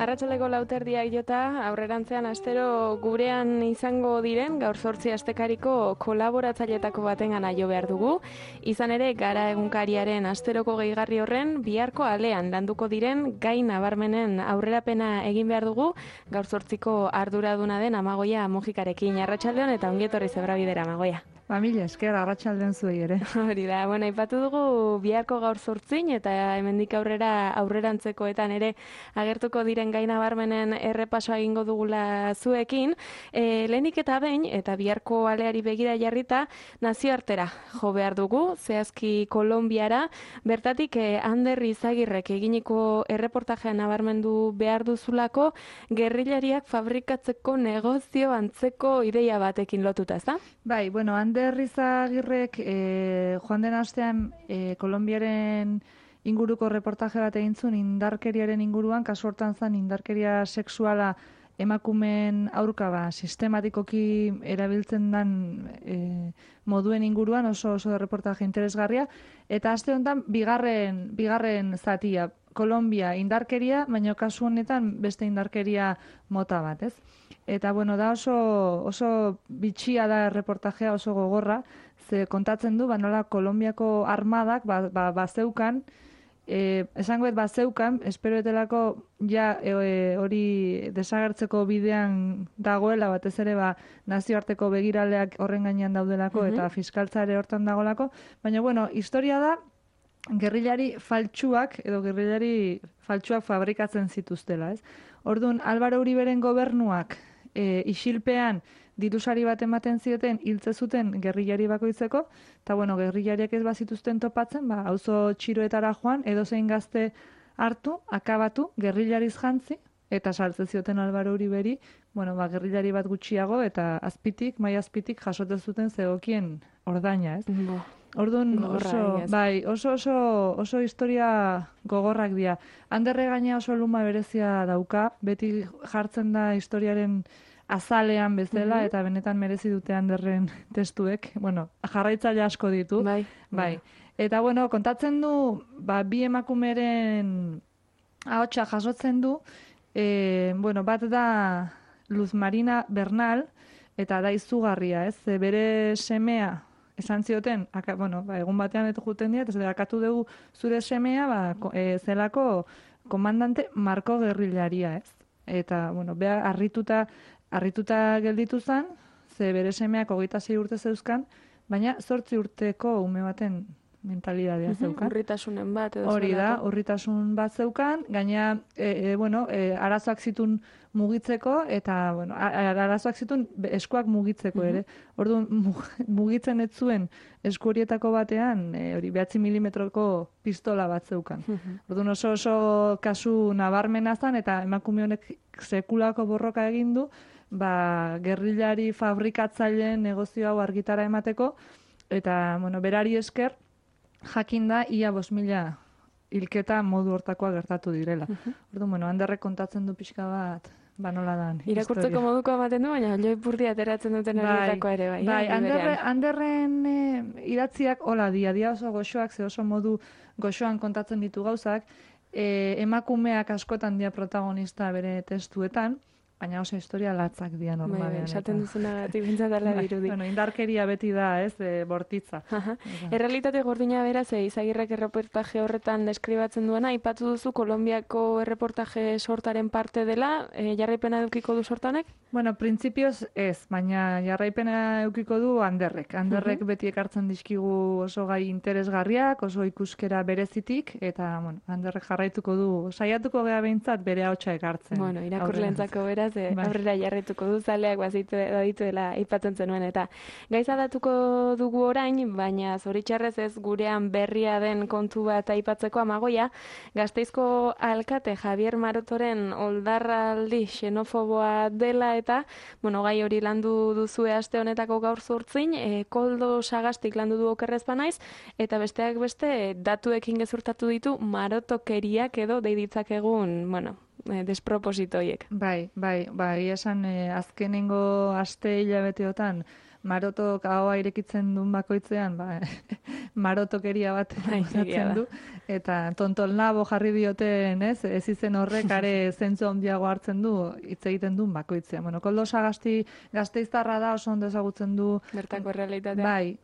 Arratsaleko lauterdiak jota, aurrerantzean astero gurean izango diren gaur 8 astekariko kolaboratzaileetako batengana jo behar dugu. Izan ere, Gara egunkariaren asteroko gehigarri horren biharko alean landuko diren gai nabarmenen aurrerapena egin behar dugu, gaur 8ko arduraduna den Amagoia Mujikarekin. Arratsaldeon eta ongietorri Zebrabidera, Amagoia. Mila esker, arratsaldean zuei ere. Hori da, aipatu dugu biharko gaur 8 eta hemendik aurrera aurrerantzekoetan ere agertuko diren gai nabarmenen errepasoa egingo dugula zuekin. Lehenik eta behin, eta biharko aleari begira jarrita, nazioartera jo behar dugu, zehazki Kolonbiara, bertatik Ander Izagirrek eginiko erreportajea nabarmendu behar duzulako, gerrilariak fabrikatzeko negozio antzeko ideia batekin lotuta, ezta? Bai, bueno, Ander Izagirrek joan den astean Kolonbiaren inguruko reportaje bat egin zuen indarkeriaren inguruan, kasu hortan zen indarkeria sexuala emakumeen aurka sistematikoki erabiltzen den moduen inguruan oso reportaje interesgarria, eta aste honetan bigarren zatia, Kolonbia indarkeria, baina kasu honetan beste indarkeria mota bat, ez? Eta bueno, da oso bitxia da reportajea, oso gogorra, ze kontatzen du, nola Kolonbiako armadak bazeukan, esango bazeukan, espero etelako ja hori desagertzeko bidean dagoela, batez ere nazioarteko begiraleak horren gainean daudelako, eta fiskaltzare hortan dagoelako, baina bueno, historia da, gerrilari faltsuak fabrikatzen zituztela, ez? Orduan, Álvaro Uriberen gobernuak isilpean dirusari bat ematen zioten hiltze zuten gerrilari bakoitzeko, eta bueno, gerrilariak ez bazituzten topatzen, auzo txiroetara joan, edozein gazte hartu, akabatu, gerrilariz jantzi, eta saltze zioten Álvaro Uriberi, gerrilari bat gutxiago, eta mai azpitik jasoten zuten zegokien ordaina, ez? Orduan oso historia gogorrak dira. Anderre gaina oso luma berezia dauka, beti jartzen da historiaren azalean bezala, eta benetan merezi dute Anderren testuek. Bueno, jarraitzaile asko ditu. Bai. Eta kontatzen du, bi emakumeren ahotsa jasotzen du, bat da Luz Marina Bernal, eta da izugarria, ez? Bere semea, esan zioten, egun batean eto juten dira, eta akatu dugu zure semea, zelako komandante Marko gerrilaria, ez? Eta, beha, harrituta gelditu zen, ze bere semeak 26 urte zeuzkan, baina 8 urteko ume baten mentalidadea zeukan. Urritasunen bat edo hori da, urritasun bat zeukan, gaina, arazoak zitun mugitzeko, eta, arazoak zitun eskuak mugitzeko ere. Orduan, mugitzen ez zuen esku horietako batean, 9 milimetroko pistola bat zeukan. Orduan, oso kasu nabarmena zen, eta emakume honek sekulako borroka egin du, gerrilari fabrikatzaileen negozio hau argitara emateko, eta, berari esker, jakin da, ia 5.000 hilketa modu hortakoa gertatu direla. Orduan, Anderrek kontatzen du pixka bat, nola dan. Irakurtzeko moduko ematen du, baina loipurdi ateratzen duten horietako ere, bai. Bai, Anderren idatziak hola dia oso goxoak, ze oso modu goxoan kontatzen ditu gauzak, emakumeak askotan dia protagonista bere testuetan, baina oso historia latzak dira normalean. Esaten duzunagatik bintzatala dirudi. Indarkeria beti da, ez, bortitza. Errealitate gordina beraz, Izagirrek erreportaje horretan deskribatzen duena, aipatu duzu Kolonbiako erreportaje sortaren parte dela, jarraipena edukiko du sortanek? Bueno, printzipioz ez, baina jarraipena edukiko du Anderrek. Anderrek beti ekartzen dizkigu oso gai interesgarriak, oso ikuskera berezitik, eta Anderrek jarraituko du, saiatuko gea behintzat bere ahotsa ekartzen. Irakurleentzako beraz, aurrera jarraituko du zaleak badituela aipatzen zenuen, eta gaiza datuko dugu orain, baina zoritxarrez ez gurean berria den kontu bat aipatzeko Amagoia, Gasteizko alkate Javier Marotoren oldarraldi xenofoboa dela, eta gai hori landu duzue aste honetako gaur 8, Koldo Sagastik landu du okerrez banaiz, eta besteak beste datuekin gezurtatu ditu marotokeriak edo deiditzak egun, despropositoiek. Bai, esan azkenengo aste hilabeteotan marotok ahoa irekitzen duen bakoitzean, marotokeria bat botatzen du, eta tontolnabo jarri dioten, ez izen horrek are zentzu handiago hartzen du, hitz egiten duen bakoitzean. Bueno, Koldo Sagasti Gasteiztarra da, oso ondo ezagutzen du. Bertako errealitatea. Bai,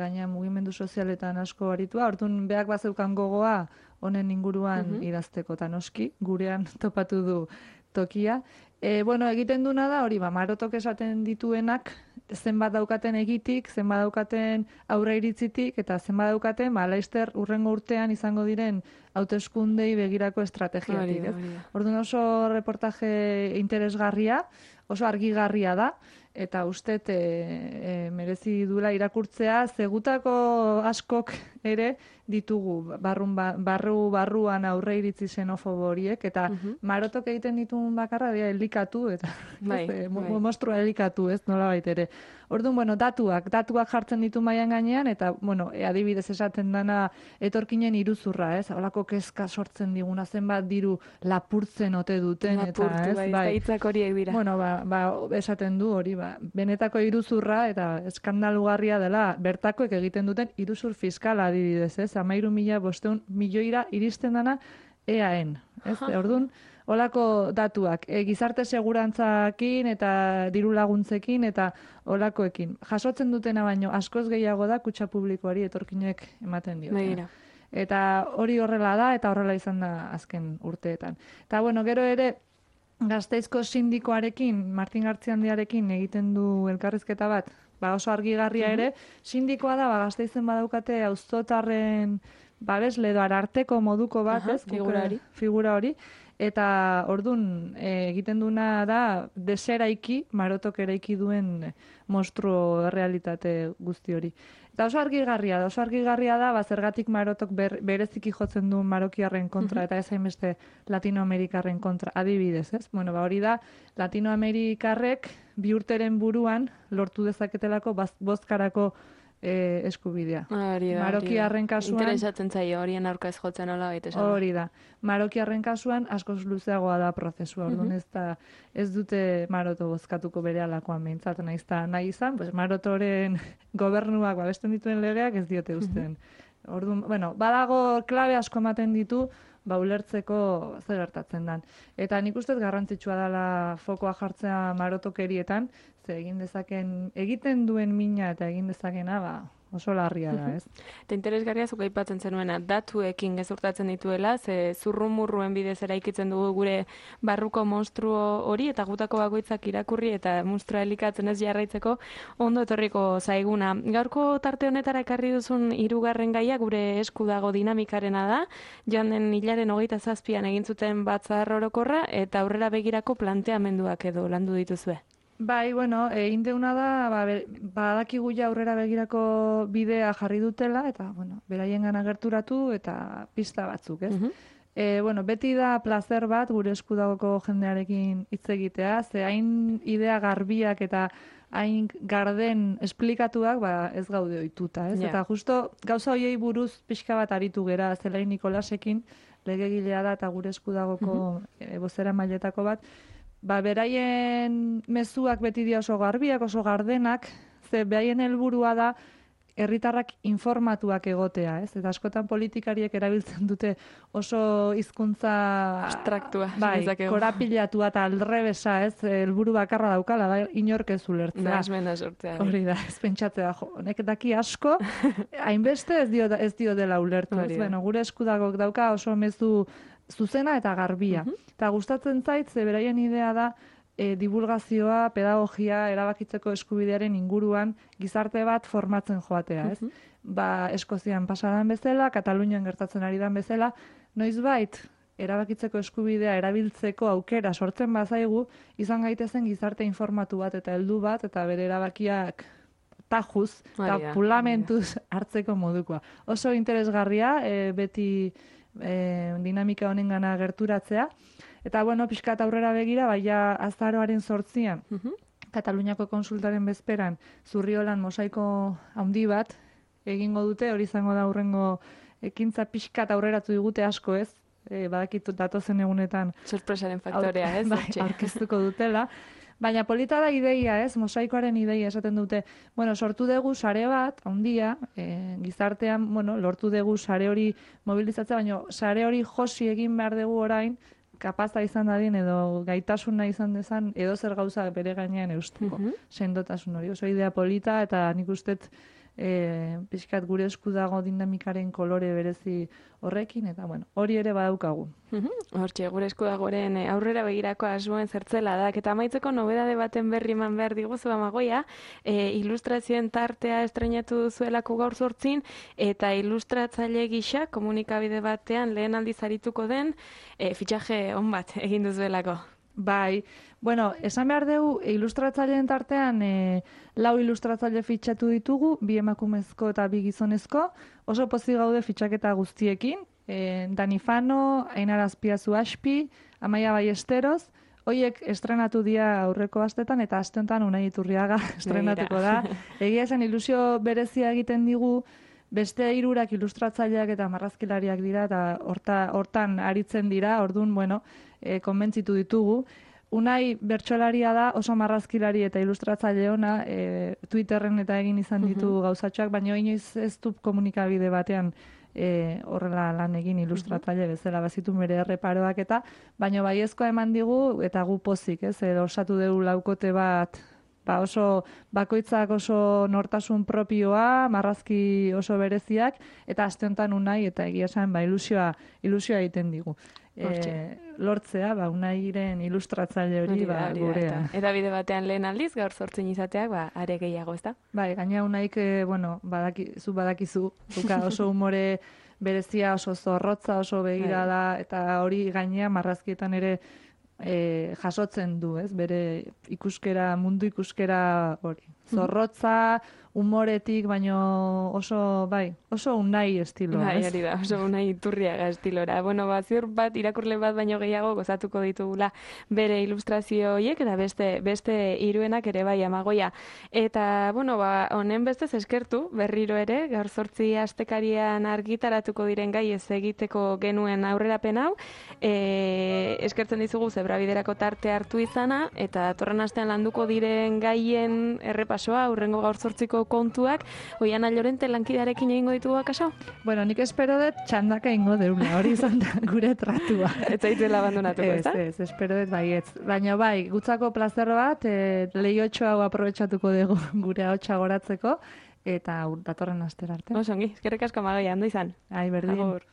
gaina mugimendu sozialetan asko aritua, orduan beak bazeukan gogoa honen inguruan idazteko, eta noski, gurean topatu du tokia. Egiten duna da, hori, marotok esaten dituenak, zenbat daukaten egitik, zenbat daukaten aurre iritzitik, eta zenbat daukaten, laizter urrengo urtean izango diren hauteskundei begirako estrategiatik. Orduan oso reportaje interesgarria, oso argigarria da, eta ustet merezi duela irakurtzea, zegutako askok ere ditugu barruan aurre iritzi xenofobo horiek, eta marotok egiten dituen bakarra dira elikatu, eta mostrua elikatu, ez, nolabait ere. Orduan, datuak jartzen ditu mailan gainean, eta, adibidez esaten dana etorkinen iruzurra, ez, holako kezka sortzen diguna, zenbat diru lapurtzen ote duten, eta, ez, hitzak horiek dira. Esaten du hori, benetako iruzurra, eta eskandalugarria dela, bertakoek egiten duten iruzur fiskala adibidez, ez, 13.500 milioira iristen dana EAN, ez, orduan, olako datuak, gizarte segurantzakin eta diru laguntzekin eta olakoekin. Jasotzen dutena baino askoz gehiago da kutxa publikoari etorkinek ematen dio. Eta hori horrela da eta horrela izan da azken urteetan. Eta gero ere Gasteizko sindikoarekin, Martin Gartziandiarekin egiten du elkarrizketa bat, oso argigarria ere, sindikoa da, Gasteizen badaukate auzotarren babesle edo ararteko moduko bat, ez? Figura hori. Eta ordun egiten duna da deseraiki, marotok eraiki duen monstruo realitate guzti hori. Eta oso argigarria da, zergatik marotok bereziki jotzen du marokiarren kontra, eta ez hainbeste latinoamerikarren kontra, adibidez, ez? Hori da, latinoamerikarrek bi urteren buruan lortu dezaketelako bozkarako eskubidea. Marokiarren kasuan... Interesatzen zaio, horien aurka ez jotzen hola baita. Hori da. Marokiarren kasuan askoz luzeagoa da prozesua. Orduan ez dute maroto bozkatuko bere alakoan behintzat nahi izan, marotoren gobernuak babesten dituen legeak ez diote uzten. Orduan, badago klabe asko ematen ditu, ulertzeko zer gertatzen dan. Eta nik ustez garrantzitsua dela fokoa jartzea marotokerietan, ze egiten duen mina eta egin dezakena, oso larria da, ez? Eta interesgarria zuk aipatzen zenuena, datuekin gezurtatzen dituela, ze zurrumurruen bidez eraikitzen dugu gure barruko monstruo hori, eta gutako bakoitzak irakurri eta monstrua elikatzen ez jarraitzeko ondo etorriko zaiguna. Gaurko tarte honetara ekarri duzun hirugarren gaia gure esku dago dinamikarena da, joan den hilaren 27an egin zuten batzar orokorra, eta aurrera begirako planteamenduak edo landu dituzue. Egin deuna da, badakigu ja aurrera begirako bidea jarri dutela, eta, beraien gana gerturatu eta pista batzuk, ez? Beti da placer bat gure eskudagoko jendearekin hitz egitea, ze hain idea garbiak eta hain garden esplikatuak ez gaude ohituta, ez? Eta justo gauza hoiei buruz pixka bat aritu gera, Zelain Nikolasekin, legegilea da eta gure eskudagoko bozera mailetako bat, beraien mezuak beti dira oso garbiak, oso gardenak, ze beraien helburua da herritarrak informatuak egotea, ez? Eta askotan politikariek erabiltzen dute oso hizkuntza abstraktua, korapilatua eta aldrebesa, ez? Helburu bakarra daukala, da inork ez ulertzea. Nahasmena sortzea. Hori da, ez pentsatzea, honek daki asko, hainbeste ez dio dela ulertu, ez? Gure eskudagok dauka oso mezu zuzena eta garbia. Eta gustatzen zait, ze beraien idea da divulgazioa, pedagogia, erabakitzeko eskubidearen inguruan gizarte bat formatzen joatea, ez? Eskozian pasadan bezala, Katalunian gertatzen ari dan bezala, noizbait erabakitzeko eskubidea erabiltzeko aukera sortzen bazaigu, izan gaitezen gizarte informatu bat eta heldu bat, eta bere erabakiak tajuz eta pulamentuz hartzeko modukoa. Oso interesgarria, beti dinamika honen gana gerturatzea. Eta, pixkat aurrera begira, azaroaren 8an, Kataluniako konsultaren bezperan, Zurriolan mosaiko handi bat egingo dute, hori izango da hurrengo ekintza pixkat aurreratu digute asko, ez? badakitu datozen egunetan sorpresaren faktorea, ez? Bai, aurkeztuko dutela. Baina polita da ideia, ez? Mosaikoaren ideia esaten dute. Bueno, sortu dugu sare bat, handia, gizartean, bueno, lortu dugu sare hori mobilizatzea, baina sare hori josi egin behar dugu orain, kapaza izan dadin edo gaitasuna izan dezan edo zer gauza bere gainean eusteko. Sendotasun hori. Oso idea polita eta nik ustet pixkat gure esku dago dinamikaren kolore berezi horrekin, eta bueno, hori ere badaukagu. Hortxe, gure esku dagoren aurrera begirako asmoen zertzela da, eta amaitzeko nobedade baten berri eman behar diguzu Amagoia, ilustrazioen tartea estrenatu duzuelako gaur 8, eta ilustratzaile gisa komunikabide batean lehen aldiz arituko den fitxaje on bat egin duzuelako. Bai, bueno, esan behar dugu, ilustratzaileen tartean 4 ilustratzaile fitxatu ditugu, 2 emakumezko eta 2 gizonezko, oso pozik gaude fitxaketa guztiekin, Dani Fano, Ainara Azpiazu Aspi, Amaia Ballesteros, hoiek estrenatu dira aurreko astetan, eta aste honetan Unai Iturriaga estrenatuko da. Egia esan ilusio berezia egiten digu, beste 3 ilustratzaileak eta marrazkilariak dira, eta hortan aritzen dira, orduan, bueno, konbentzitu ditugu. Unai bertsolaria da, oso marrazkilari eta ilustratzaile ona, Twitterren eta egin izan ditu gauzatxoak, baina inoiz ez du komunikabide batean horrela lan egin ilustratzaile bezala bazitu bere erreparoak eta, baina baiezkoa eman digu eta gu pozik, ez, osatu dugu laukote bat, oso bakoitzak oso nortasun propioa, marrazki oso bereziak, eta aste honetan Unai eta egia esan ilusioa egiten digu. Lortzea, Unairen ilustratzaile hori gurea. Eta bide batean lehen aldiz, gaur 8 izateak, are gehiago, ez da? Bai, gaina Unaik, bueno, badakizu, oso umore berezia, oso zorrotza, oso begirada, eta hori gainea marrazkietan ere jasotzen du, ez? Bere ikuskera, mundu ikuskera hori. Zorrotza, umoretik, baino oso Unai estiloa, Bai, hori da, oso Unai Iturriaga estilora. Bueno, ziur bat, irakurle bat baino gehiago gozatuko ditugula bere ilustrazio horiek, eta beste 3 ere bai Amagoia. Eta, bueno, honen bestez eskertu, berriro ere, gaur 8 astekarian argitaratuko diren gai ez egiteko genuen aurrerapen hau, eskertzen dizugu zebrabiderako tarte hartu izana, eta datorren astean landuko diren gaien errepasoa, hurrengo gaur 8ko kontuak, Oiana Llorente lankidarekin egingo ditugu akaso? Bueno, nik espero dut txandaka egingo deula, hori izan da gure tratua. Ez zaituela abandonatuko, ez da? Ez, espero dut baietz. Baina bai, gutzako plazer bat, lehiotxo hau aprobetxatuko dugu gure ahotsa goratzeko, eta datorren astera arte. Osongi, eskerrik asko Amagoia, ondo izan. Ai, berdin. Agur.